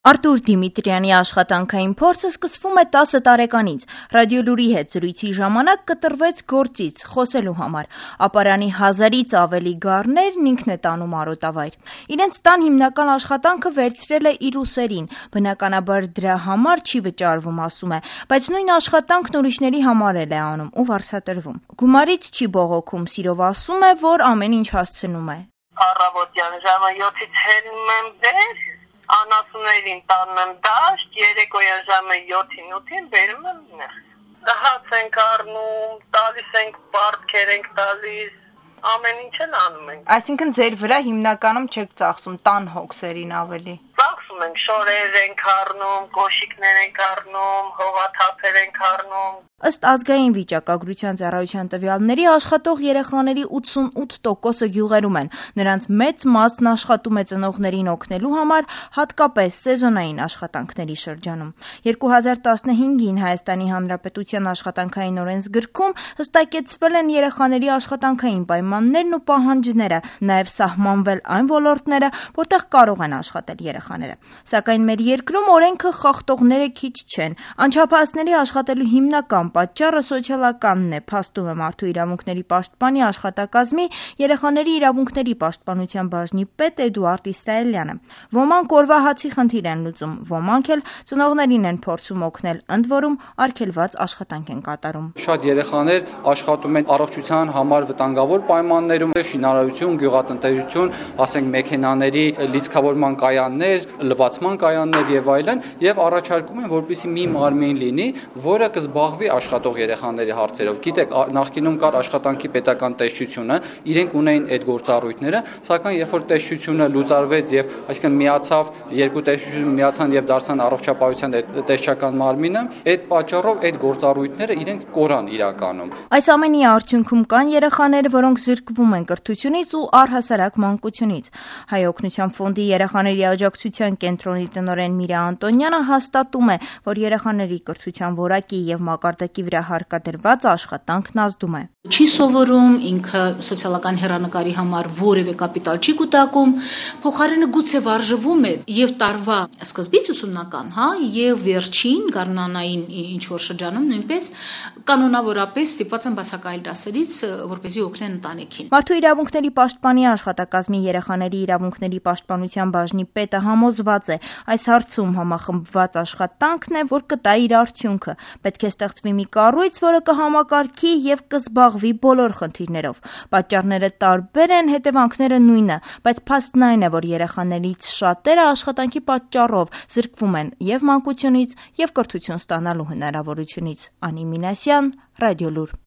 Արտուր Դիմիտրյանի աշխատանքային փորձը սկսվում է 10 տարեկանից։ Ռադիոլուրի հետ զրույցի ժամանակ կտրվեց գործից խոսելու համար։ Ապարանի 1000-ից ավելի գառներն ինքն է տանում արոտավայր։ Իրենց տան հիմնական աշխատանքը վերցրել է իր ուսերին։ Բնականաբար դրա համար չի վճարվում, ասում է, բայց նույն աշխատանքն ուրիշների համար էլ է անում ու վարձատրվում։ Գումարից չի բողոքում, սիրով ասում է, որ ամեն ինչ հասցնում է։ Առավոտյան ժամը 7-ից հելնում եմ վեր, անասուններին տանում եմ դաշտ, երեկոյան ժամը 7-ին 8-ին բերում եմ ներս։ Հաց ենք առնում, տալիս ենք պարտքեր ենք տալիս, ամեն ինչ էլ անում ենք։ Այսինքն ձեր վրա հիմնականում չեք ծախսում տան հոգսերին ավելի։ Ծախսում ենք, շորեր ենք առնում, կոշիկներ ենք առնում, հողաթափեր ենք առնում։ Ըստ ազգային վիճակագրության ծառայության տվյալների աշխատող երեխաների 88%-ը գյուղերում են։ Նրանց մեծ մասն աշխատում է ծնողներին օգնելու համար, հատկապես սեզոնային աշխատանքների շրջանում։ 2015-ին Հայաստանի Հանրապետության աշխատանքային օրենսգրքում հստակեցվել են երեխաների աշխատանքային պայմաններն ու պահանջները, նաև սահմանվել այն ոլորտները, որտեղ կարող են աշխատել երեխաները։ Սակայն մեր երկրում օրենքը խախտողները քիչ չեն։ Անչափահասների աշխատելու հիմնական պատճառը սոցիալականն է, փաստում է Մարդու իրավունքների պաշտպանի աշխատակազմի երեխաների իրավունքների պաշտպանության բաժնի պետ Էդուարդ Իսրայելյանը։ Ոմանք օրվա հացի խնդիր են լուծում, ոմանք էլ ծնողներին են փորձում օգնել, ընդ որում արգելված աշխատանք են կատարում։ Շատ երեխաներ աշխատում են առողջության համար վտանգավոր պայմաններում, շինարարություն, գյուղատնտեսություն, ասենք մեքենաների լիցքավորման կայաններ, լվացման կայաններ եւ այլն, եւ առաջարկում են, որպեսզի մի մարմին լինի, որը կզբաղվի աշխատող երեխաների հարցերով։ Գիտեք, նախկինում կար աշխատանքի պետական տեսչությունը, իրենք ունեին այդ գործառույթները, սակայն երբ որ տեսչությունը լուծարվեց եւ այսինքն միացավ, երկու տեսչություն միացան եւ դարձան առողջապահության տեսչական մարմինը, այդ պատճառով այդ գործառույթները իրենք կորան իրականում։ Այս ամենի արդյունքում կան երեխաներ, որոնք զրկվում են կրթությունից ու առհասարակ մանկությունից։ Հայ օգնության ֆոնդի երեխաների աջակցության կենտրոնի տնօրեն Միրա Անտոնյանը հաստատում է, որ երեխաների կրթության որակի եւ մակարդակի վրա հարկադրված աշխատանքն ազդում է։ Չի սովորում, ինքը սոցիալական հեռանկարի համար որևէ կապիտալ չի կուտակում, փոխարենը գուցե վարժվում է եւ տարվա սկզբից ուսումնական, եւ վերջին գարնանային ինչ որ շրջանում նույնպես կանոնավորապես ստիպված են բացակայել դասերից, որպեսզի օգնեն ընտանիքին։ Մարդու իրավունքների պաշտպանի աշխատակազմի երեխաների իրավունքների պաշտպանության բաժնի պետը համոզված է, այս հարցում համախմբված աշխատանքն է, որ կտա իր արդյունքը։ Պետք է ստեղծվի մի կառույց, որը կհամակարգի եւ կզբաղվի բոլոր խնդիրներով։ Պատճառները տարբեր են, հետևանքները նույնը, բայց փաստն այն է, որ երեխաներից շատերը աշխատանքի պատճառով զրկվում են եւ մանկությունից, եւ կրթություն ստանալու հնարավորությունից։ Անի Մինասյան, Ռադիոլուր։